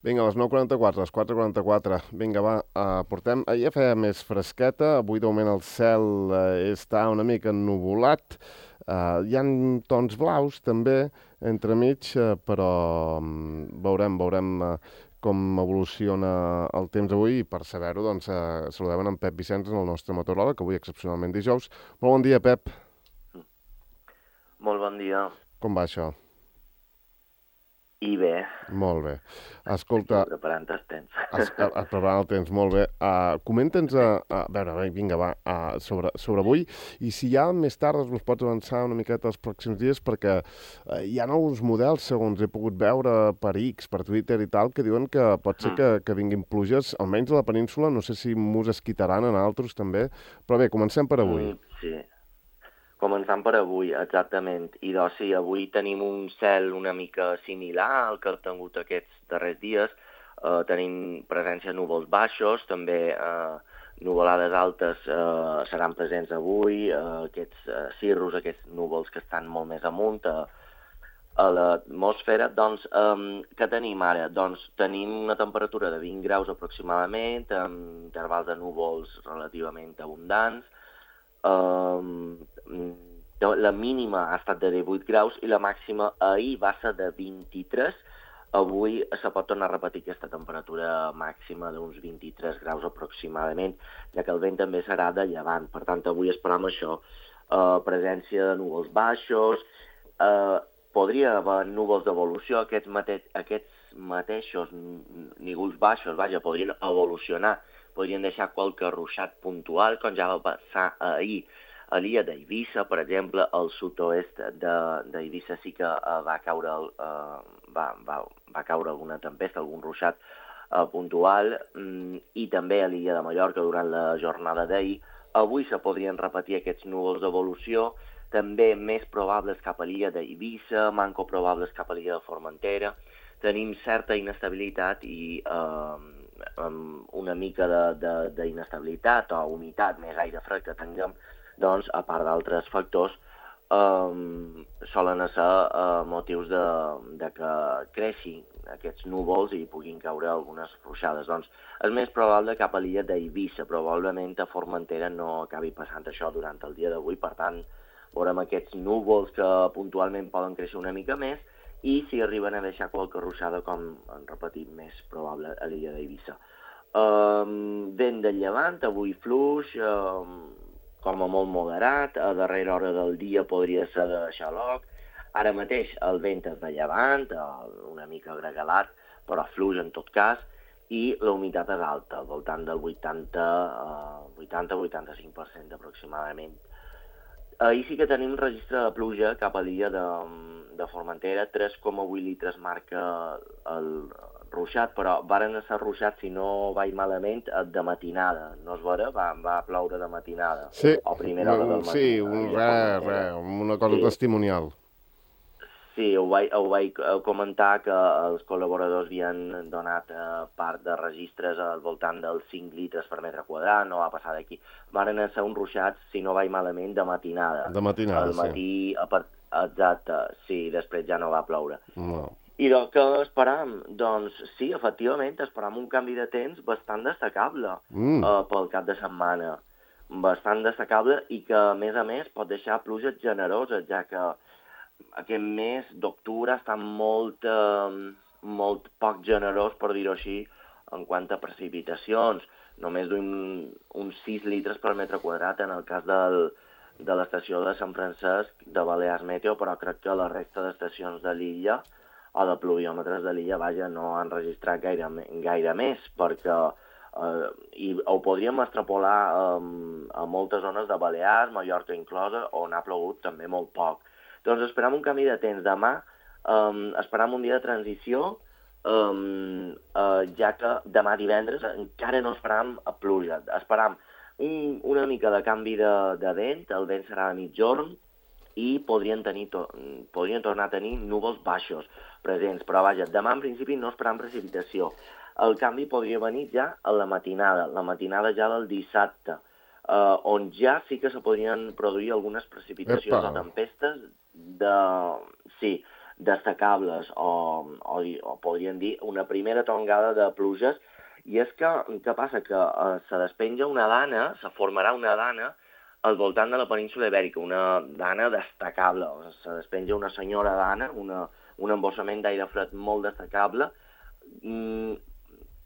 Vinga, a les 9:44, a les 4:44. Vinga, va, portem... Ahir feia més fresqueta, avui de moment el cel està una mica ennuvolat. Hi ha tons blaus també entremig, però veurem com evoluciona el temps avui i per saber-ho, doncs, saludem en Pep Vicenç, el nostre meteoròleg, que avui excepcionalment dijous. Molt bon dia, Pep. Molt bon dia. Com va això? I bé, Molt bé. aquí Escolta, preparant el temps. preparant el temps, molt bé. Comenta'ns, a veure, vinga, va, sobre avui, i si ja més tard ens pots avançar una miqueta els pròxims dies, perquè hi ha alguns models, segons he pogut veure per X, per Twitter i tal, que diuen que pot ser que vinguin pluges, almenys a la península, no sé si mos esquitaran en altres també, però bé, comencem per avui. Sí, començant per avui, exactament. I doncs sí, avui tenim un cel una mica similar al que hem tingut aquests darrers dies. Tenim presència de núvols baixos, també nuvolades altes seran presents avui, aquests cirrus, aquests núvols que estan molt més amunt a l'atmosfera. Doncs, què tenim ara? Doncs tenim una temperatura de 20 graus aproximadament, amb intervals de núvols relativament abundants. La mínima ha estat de 18 graus i la màxima ahir va ser de 23. Avui se pot tornar a repetir aquesta temperatura màxima d'uns 23 graus aproximadament, ja que el vent també serà de llevant. Per tant, avui esperam això, presència de núvols baixos, podria haver núvols d'evolució, aquests mateixos núvols baixos, vaja, podrien evolucionar, podrien deixar qualque ruixat puntual, com ja va passar ahir a l'illa d'Eivissa, per exemple, al sud-oest d'Eivissa sí que va caure alguna tempesta, algun ruixat puntual, i també a l'illa de Mallorca durant la jornada d'ahir. Avui se podrien repetir aquests núvols d'evolució, també més probables cap a l'illa d'Eivissa, manco probables cap a l'illa de Formentera. Tenim certa inestabilitat i una mica d'inestabilitat o humitat, més aire fred que tinguem, doncs, a part d'altres factors, solen ser motius de que creixin aquests núvols i puguin caure algunes ruixades. Doncs és més probable cap a l'illa d'Eivissa, probablement a Formentera no acabi passant això durant el dia d'avui, per tant, veurem aquests núvols que puntualment poden créixer una mica més i si arriben a deixar qualque ruixada, com hem repetit, més probable a l'illa d'Eivissa. Vent de llevant, avui fluix, com a molt moderat, a darrera hora del dia podria ser de xaloc. Ara mateix el vent és de llevant, una mica gregalat, però fluix en tot cas, i la humitat és alta, al voltant del 80-85% aproximadament. Ahir sí que tenim registre de pluja cap a l'illa de Formentera, 3,8 litres marca el ruixat, però varen ser ruixats, si no vaig malament, de matinada. No es veure? Va ploure de matinada. Sí, O a primera hora del matí. sí, una cosa testimonial. Sí, ho vaig comentar que els col·laboradors havien donat part de registres al voltant dels 5 litres per metre quadrat, no va passar d'aquí. Varen ser uns ruixats, si no vaig malament, de matinada. De matinada, al matí, sí. Exacte, sí, després ja no va ploure. No. I què esperam? Doncs sí, efectivament, esperam un canvi de temps bastant destacable pel cap de setmana. Bastant destacable i que, a més, pot deixar pluges generoses, ja que aquest mes d'octubre està molt poc generós, per dir-ho així, en quant a precipitacions. Només uns 6 litres per metre quadrat en el cas de l'estació de Sant Francesc de Balears Meteo, però crec que la resta d'estacions de l'illa o de pluviòmetres de l'illa, vaja, no han registrat gaire més, perquè i ho podríem extrapolar a moltes zones de Balears, Mallorca inclosa, on ha plogut també molt poc. Doncs esperam un canvi de temps. Demà esperam un dia de transició, ja que demà divendres encara no esperam pluja. Esperam una mica de canvi de vent, el vent serà a mitjorn i podrien tornar a tenir núvols baixos presents. Però vaja, demà en principi no esperam precipitació. El canvi podria venir ja a la matinada ja del dissabte, on ja sí que se podrien produir algunes precipitacions o tempestes destacables o podríem dir una primera tongada de pluges, i és que què passa? Que se despenja una dana, se formarà una dana al voltant de la península Ibèrica, una dana destacable, se despenja una senyora dana, un embossament d'aire fred molt destacable,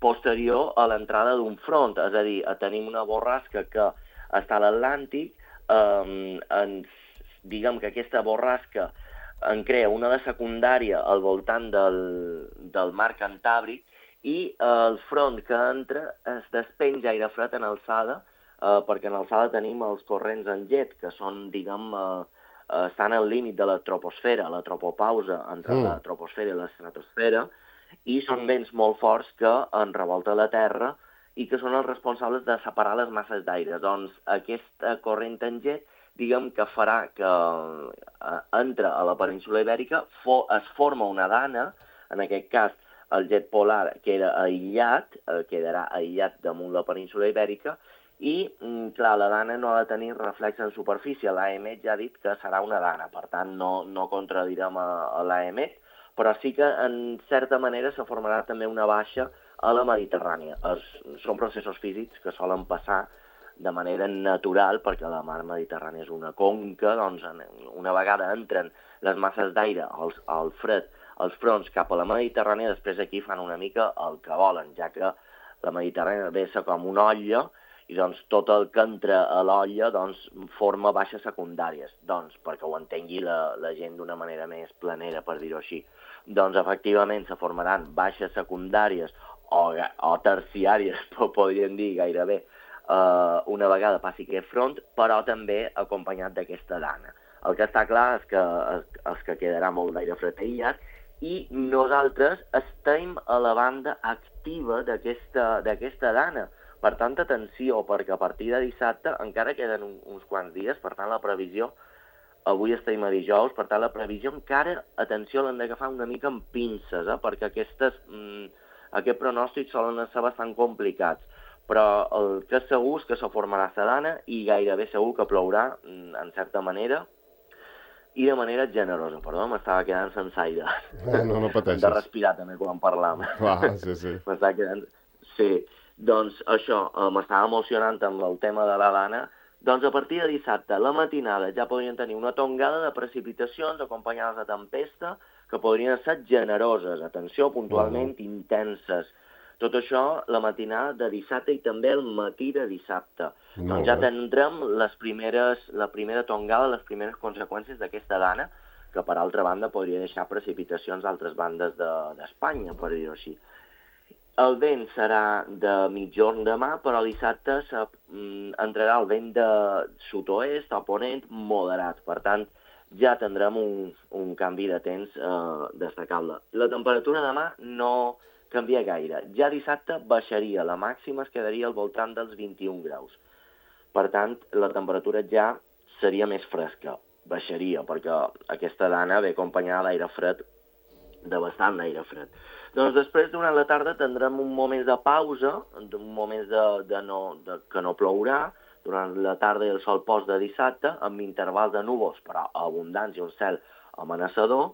posterior a l'entrada d'un front, és a dir, tenim una borrasca que està a l'Atlàntic, diguem que aquesta borrasca en crea una de secundària al voltant del mar Cantàbric, i el front que entra es despenja aire fred en alçada, perquè en alçada tenim els corrents en llet, que són, diguem, estan al límit de la troposfera, la tropopausa entre la troposfera i l'estratosfera, i són vents molt forts que en revolta la Terra i que són els responsables de separar les masses d'aire. Doncs aquesta corrent en llet, diguem que farà que entra a la península Ibèrica, es forma una dana, en aquest cas el jet polar queda aïllat, quedarà aïllat damunt la península Ibèrica, i, clar, la dana no ha de tenir reflex en superfície. L'AEMET ja ha dit que serà una dana, per tant, no contradirem a l'AEMET, però sí que, en certa manera, se formarà també una baixa a la Mediterrània. Són processos físics que solen passar de manera natural, perquè la mar Mediterrània és una conca, doncs una vegada entren les masses d'aire, el fred, els fronts cap a la Mediterrània, després aquí fan una mica el que volen, ja que la Mediterrània ve com una olla, i doncs tot el que entra a l'olla doncs, forma baixes secundàries, doncs, perquè ho entengui la gent d'una manera més planera, per dir-ho així. Doncs efectivament se formaran baixes secundàries o terciàries, podríem dir gairebé, una vegada passi aquest front, però també acompanyat d'aquesta dana. El que està clar és que quedarà molt d'aire fred aïllat, i nosaltres estem a la banda activa d'aquesta dana. Per tant, atenció, perquè a partir de dissabte encara queden uns quants dies, per tant, la previsió, avui estem a dijous, per tant, la previsió encara, atenció, l'hem d'agafar una mica amb pinces, perquè aquest pronòstic solen ser bastant complicats. Però el que és segur és que se formarà la dana i gairebé segur que plourà, en certa manera, i de manera generosa. Perdó, m'estava quedant sense aire. No pateixis. Hem de respirar també quan parlam. Clar, sí. M'estava quedant... Sí, doncs això, m'estava emocionant amb el tema de la dana. Doncs a partir de dissabte, a la matinada, ja podrien tenir una tongada de precipitacions acompanyades de tempesta que podrien ser generoses, atenció, puntualment intenses. Tot això la matinada de dissabte i també el matí de dissabte. Doncs ja tindrem la primera tongada, les primeres conseqüències d'aquesta dana, que per altra banda podria deixar precipitacions d'altres bandes d'Espanya, per dir-ho així. El vent serà de mitjorn demà, però dissabte entrarà el vent de sud-oest o ponent moderat. Per tant, ja tindrem un canvi de temps destacable. La temperatura demà no canvia gaire. Ja dissabte baixaria, la màxima es quedaria al voltant dels 21 graus. Per tant, la temperatura ja seria més fresca, baixaria, perquè aquesta dana ve acompanyada d'aire fred, de bastant d'aire fred. Doncs després, durant la tarda, tindrem un moment de pausa, un moment que no plourà, durant la tarda i el sol post de dissabte, amb intervals de núvols, però abundants i un cel amenaçador,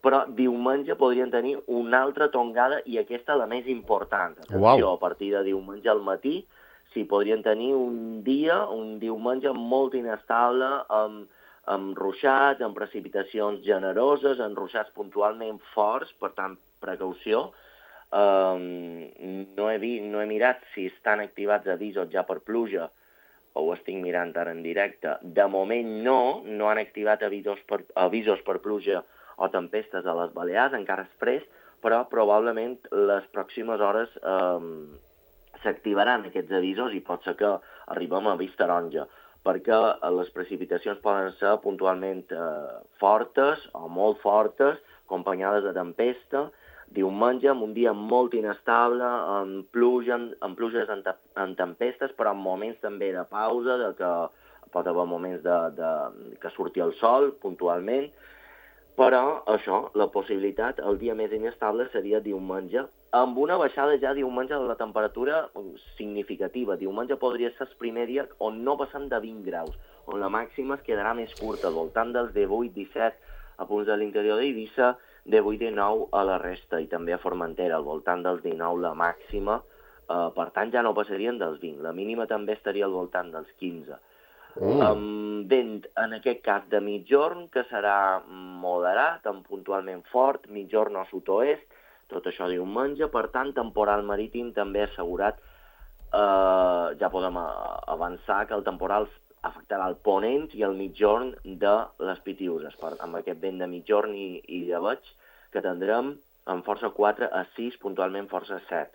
però diumenge podrien tenir una altra tongada, i aquesta la més important. Atenció, a partir de diumenge al matí, podrien tenir un diumenge molt inestable, amb ruixats, amb precipitacions generoses, amb ruixats puntualment forts, per tant, precaució. No he mirat si estan activats avisos ja per pluja, ho estic mirant ara en directe. De moment no han activat avisos per pluja o tempestes a les Balears, encara és fresc, però probablement les pròximes hores s'activaran aquests avisos i pot ser que arribem a avís taronja, perquè les precipitacions poden ser puntualment fortes o molt fortes, acompanyades de tempesta, diumenge, amb un dia molt inestable, amb pluges en tempestes, però en moments també de pausa, que pot haver moments que surti el sol puntualment, però això, la possibilitat, el dia més inestable seria diumenge, amb una baixada ja diumenge de la temperatura significativa. Diumenge podria ser el primer dia on no passem de 20 graus, on la màxima es quedarà més curta, al voltant dels 18-17 a punts de l'interior d'Eivissa, 18-19 a la resta i també a Formentera, al voltant dels 19 la màxima, per tant ja no passarien dels 20, la mínima també estaria al voltant dels 15. Amb vent, en aquest cas, de mitjorn, que serà moderat, amb puntualment fort, mitjorn o sud-oest, tot això diumenge, per tant, temporal marítim també assegurat. Ja podem avançar que el temporal afectarà el ponent i el mitjorn de les Pitiüses, amb aquest vent de mitjorn i llebeig que tindrem amb força 4 a 6, puntualment força 7.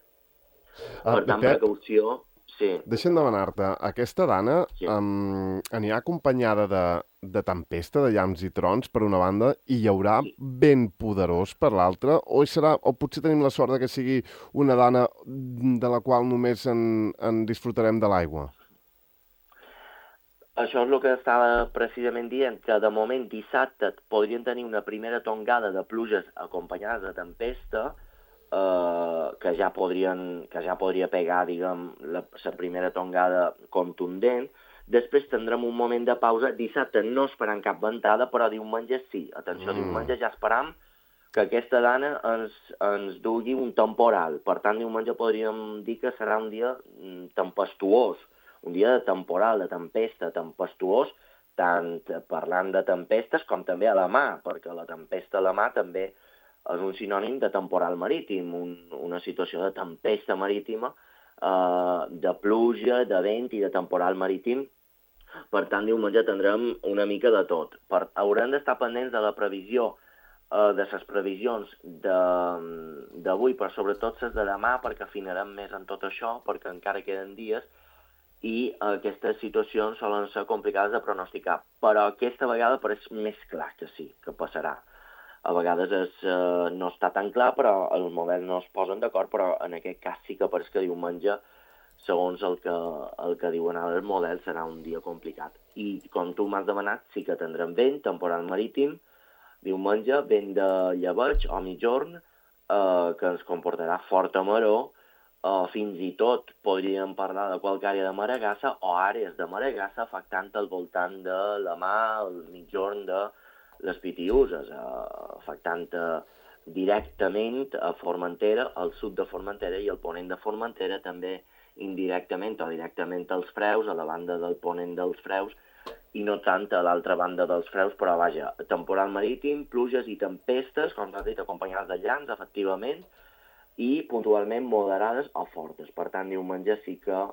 Per tant, precaució... Sí. Deixa'm demanar-te, aquesta dana anirà acompanyada de tempesta, de llamps i trons, per una banda, i hi haurà vent poderós per l'altra, o potser tenim la sort que sigui una dana de la qual només en disfrutarem de l'aigua? Això és el que estava precisament dient, que de moment dissabte podrien tenir una primera tongada de pluges acompanyades de tempesta, que ja podria pegar, diguem, la primera tongada contundent. Després tindrem un moment de pausa. Dissabte no esperam cap ventada, però diumenge sí. Atenció, diumenge ja esperam que aquesta dana ens dugui un temporal. Per tant, diumenge podríem dir que serà un dia tempestuós, un dia de temporal, de tempesta, tempestuós, tant parlant de tempestes com també a la mà, perquè la tempesta a la mà també és un sinònim de temporal marítim, una situació de tempesta marítima, de pluja, de vent i de temporal marítim. Per tant, diumenge tindrem una mica de tot. Haurem d'estar pendents de la previsió, de les previsions d'avui, però sobretot les de demà, perquè afinarem més en tot això, perquè encara queden dies, i aquestes situacions solen ser complicades de pronosticar. Però aquesta vegada pareix més clar que sí, que passarà. A vegades no està tan clar, però els models no es posen d'acord, però en aquest cas sí que pareix que diumenge, segons el que diuen ara els models, serà un dia complicat. I com tu m'has demanat, sí que tindrem vent, temporal marítim, diumenge, vent de llebeig o mitjorn, que ens comportarà forta maror, fins i tot podríem parlar de qualque àrea de maregassa o àrees de maregassa afectant al voltant de la mà, el mitjorn de les Pitiüses, afectant directament a Formentera, al sud de Formentera i al ponent de Formentera, també indirectament o directament als Freus, a la banda del ponent dels Freus, i no tant a l'altra banda dels Freus, però vaja, temporal marítim, pluges i tempestes, com s'ha dit, acompanyades de llamps, efectivament, i puntualment moderades o fortes. Per tant, diumenge sí que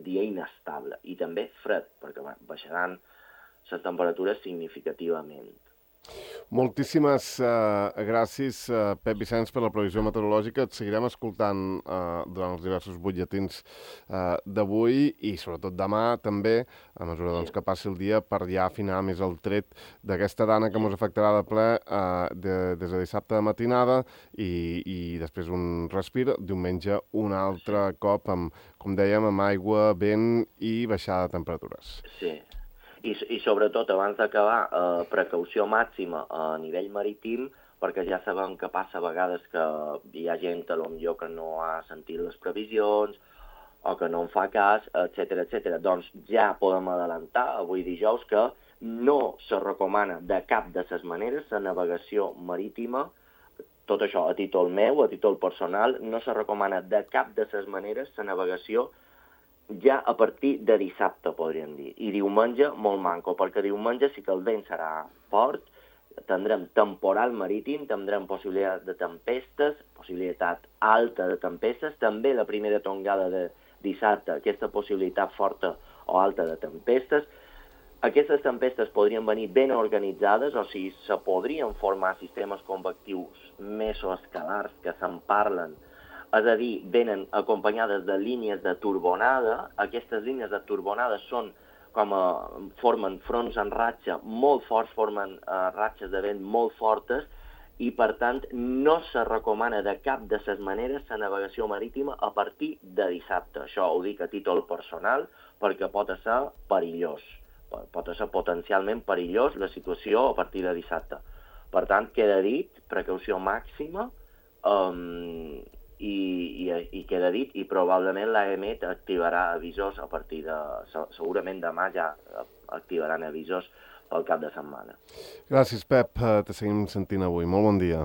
dia inestable i també fred, perquè baixaran les temperatures significativament. Moltíssimes gràcies, Pep Vicenç, per la previsió meteorològica. Et seguirem escoltant durant els diversos butlletins d'avui i sobretot demà també, a mesura que passi el dia, per ja afinar més el tret d'aquesta dana que ens afectarà de ple des de dissabte de matinada i després un respir, diumenge un altre cop, com dèiem, amb aigua, vent i baixada de temperatures. Sí. I sobretot, abans d'acabar, precaució màxima a nivell marítim, perquè ja sabem que passa a vegades que hi ha gent potser que no ha sentit les previsions o que no en fa cas, etc. Doncs ja podem adelantar, avui dijous, que no se recomana de cap de les maneres la navegació marítima, tot això a títol meu, a títol personal, no se recomana de cap de les maneres la navegació ja a partir de dissabte, podríem dir. I diumenge, molt manco, perquè diumenge sí que el vent serà fort, tindrem temporal marítim, tindrem possibilitat de tempestes, possibilitat alta de tempestes, també la primera tongada de dissabte, aquesta possibilitat forta o alta de tempestes. Aquestes tempestes podrien venir ben organitzades, o sigui, se podrien formar sistemes convectius mesoescalars que se'n parlen, és a dir, venen acompanyades de línies de turbonada. Aquestes línies de turbonada formen fronts en ratxa molt forts, formen ratxes de vent molt fortes i, per tant, no se recomana de cap de les maneres la navegació marítima a partir de dissabte. Això ho dic a títol personal perquè pot ser perillós. Pot ser potencialment perillós la situació a partir de dissabte. Per tant, queda dit, precaució màxima, i queda dit, i probablement l'AEMET activarà avisors a partir de... Segurament demà ja activaran avisors pel cap de setmana. Gràcies, Pep. Te seguim sentint avui. Molt bon dia.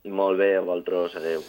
Molt bé, a vosaltres, adeu.